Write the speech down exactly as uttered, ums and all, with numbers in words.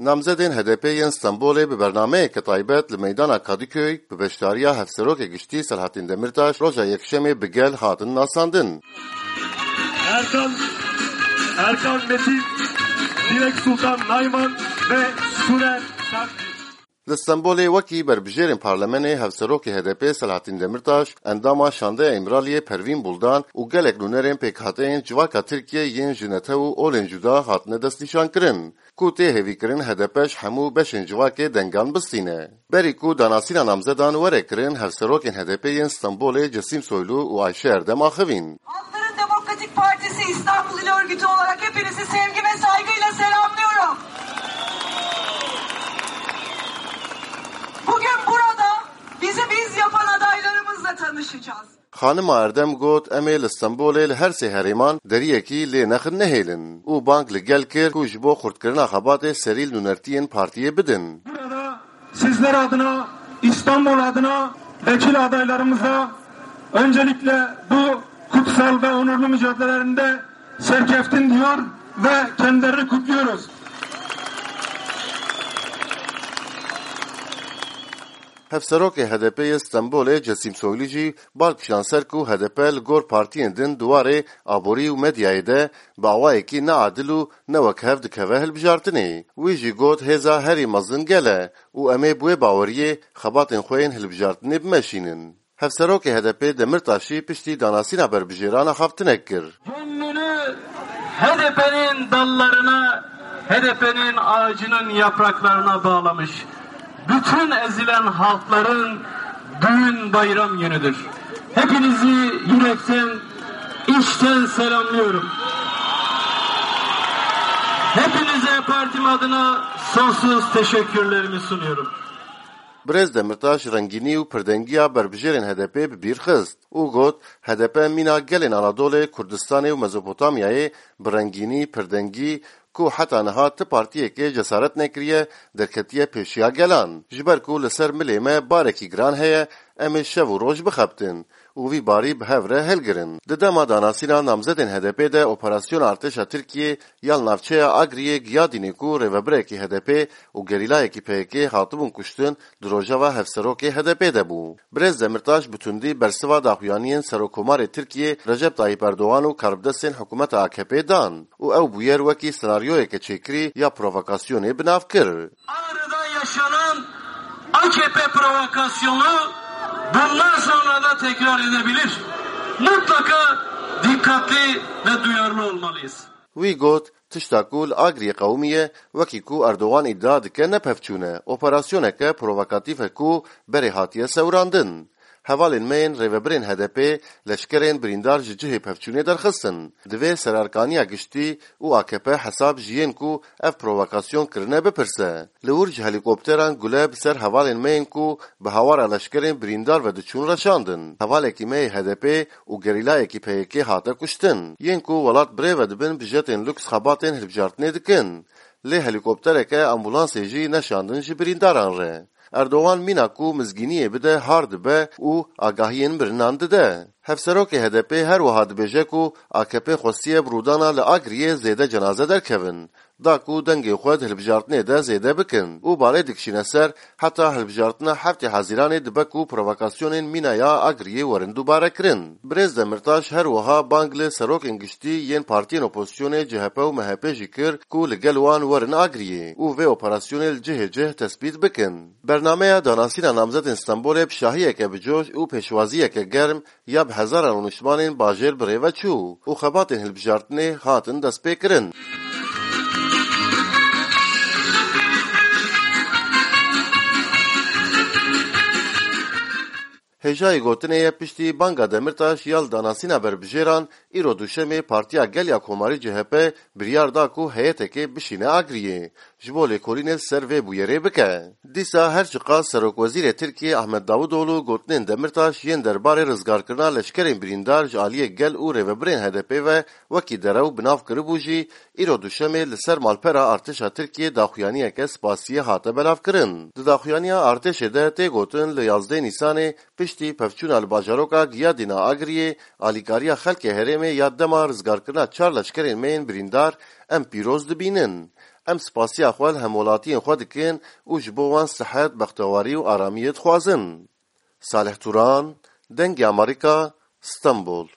Namzedên H D P yên Stenbolê bi bernameyeke taybet li meydana Kadıköy bi beşdariya Hevserokê Giştî Selahattin Demirtaş roja Yekşemê bi gel hatin nasandin. Erkan, Erkan Metin, Dilek Sultan Nayman ve Suner Sarkis. Li Stenbolê wekî berbijêrên parlemenê Hevserokê H D P Selahattin Demirtaş, endama Şandeya Îmraliyê Pervîn Buldan û gelek nûnerên pêkhateyên civaka Tirkiyê yên ji netew û olên cuda hatine destnîşankirin, ku tê hêvîkirin H D P ji hemû beşên civakê dengan bistîne. Berî ku danasîna namzedan were kirin, Hevserokên H D P yên Stenbolê Cesim Soylu û Ayşe Erdem axivîn. Halkların Demokratik Partisi İstanbul İl Örgütü olarak hepinizi sevgi ve saygıyla selamlıyorum. Bugün burada bizi biz yapan adaylarımızla tanışacağız. Xanima Erdem got, em ê li Stenbolê li her sê herêman deriyekî lê nexin nehêlin û bang li gel kir ku ji bo xurtkirina xebatê serî li nûnertiyên partiyê bidin. Burada sizler adına, İstanbul adına vekil adaylarımıza öncelikle bu kutsal ve onurlu mücadelelerinde serkeftin diyor ve kendilerini kutluyoruz. Hevserokê H D P yê Stenbolê Cesim Soylu jî bal kişand ser ku H D P li gor partiyên din di warê aborî û medyayê de bi awayekî neadil û ne wekhev dikeve hilbijartinê. Wî jî got, hêza herî mezin gel e û em ê bi wê baweriyê xebatên xwe yên hilbijartinê bimeşînin. Hevserokê H D P Demirtaşî piştî danasîna berbijêran axaftinek kir. Gönlünü H D P'nin dallarına, H D P'nin ağacının yapraklarına bağlamış bütün ezilen halkların düğün bayram günüdür. Hepinizi yürekten, içten selamlıyorum. Hepinize partim adına sonsuz teşekkürlerimi sunuyorum. Birêz Demirtaş rengînî û pirdengiya berbijêrên H D P bi bîr xist û got, H D P mîna gelên Anadolê, Kurdistanê û Mezopotamyayê bi rengînî, pirdengî, ku heta niha ti partiyekê cesaret nekiriye, derketiye pêşiya gelan. Ji ber ku li ser milê me barekî giran heye, em ê şev û roj bixebtin û vî barî bi hev re hilgirin. Di dema danasîna namzedên H D P de operasyona artêşa Tirkiyê ya li navçeya Agriyê Giyadînê ku rêvebirekî H D P û gerîlayekî P Y K hatibûn kuştin, di rojeva hevserokê H D P de bû. Birêz Demirtaş bi tundî bersiva daxuyaniyên Serokkomarê Tirkiyê Recep Tayyip Erdogan û karbidestên hikûmeta A K P dan û ew bûyer wekî senaryoyeke çêkirî ya provokasyonê bi nav kir. Ağrı'da yaşanan A K P provokasyonu bundan sonra da tekrar edebilir. Mutlaka dikkatli ve duyarlı olmalıyız. Wî got, tişta ku li Agriyê qewimiye, wekî ku Erdogan îdia dike, ne pevçûn e, operasyoneke provokatîf e ku berê hatiye sewrandin. Hevalên me yên rêvebirên H D P leşkerên birîndar ji cihê pevçûnê derxistin. Divê Sererkaniya Giştî û A K P hesab ji yên ku ev provokasyon kirine bipirse. Li wir ji helîkopteran gule bi ser hevalên me yên ku bi hawara leşkerên birîndar ve diçûn reşandin. Hevalekî me yê H D P û gerîlayekî P Y K hate kuştin. Yên ku welat bi rê ve dibin bi jetên luks xebatên hilbijartinê dikin. Lê helîkoptereke ambulansê jî neşandin ji birîndaran re. Erdogan mîna ku mizgîniyê bide har dibe û agahiyên mirinan dide. Hevserokê H D P her wiha dibêje ku A K P xwestiye bi rûdana li Agriyê zêde cenaze derkevin, da ku dengê xwe di hilbijartinê de zêde bikin û balê dikişîne ser heta hilbijartina heftê Hezîranê dibe ku provokasyonên mîna ya Agriyê werin dubare kirin. Birêz Demirtaş her wiha bang li serokên giştî yên partiyên opozisyonê C H P û M H P jî kir ku li gel wan werin Agriyê û vê operasyonê li cihê cih tespît bikin. Bernameya danasîna namzedên Stenbolê bi şahiyeke bi coş û pêşwaziyeke germ ya bi hezaran rûniştvanên bajêr bi rê ve çû û xebatên hilbijartinê hatin destpêkirin. Hêjayî gotinê ye, piştî banga Demirtaş ya li danasîna berbijêran, îro Duşemê Partiya Gel ya Komarî C H P biryar da ku heyetekê bişîne Agriyê, ji bo lêkolînê li ser vê bûyerê bike. Dîsa her çiqas Serokwezîrê Tirkiyê Ahmet Davutoğlu gotinên Demirtaş yên derbarê rizgarkirina leşkerên birîndar ji aliyê gel û rêvebirên H D P ve wekî derew bi nav kiribû jî, îro Duşemê li ser malpera artêşa Tirkiyê daxuyaniyeke spasiyê hate belavkirin. Di daxuyaniya artêşê de tê gotin, li yazdeh Nîsanê piştî pevçûna li bajaroka Giyadîna Agriyê, alîkariya xelkê herêmê ya dema rizgarkirina çar leşkerên me yên birîndar em pîroz dibînin. Em spasiya xwe li hemwelatiyên xwe dikin û ji bo wan sihet, bextewarî û aramiyê dixwazin. Salih Turan, Dengê Amerîka, Stenbol.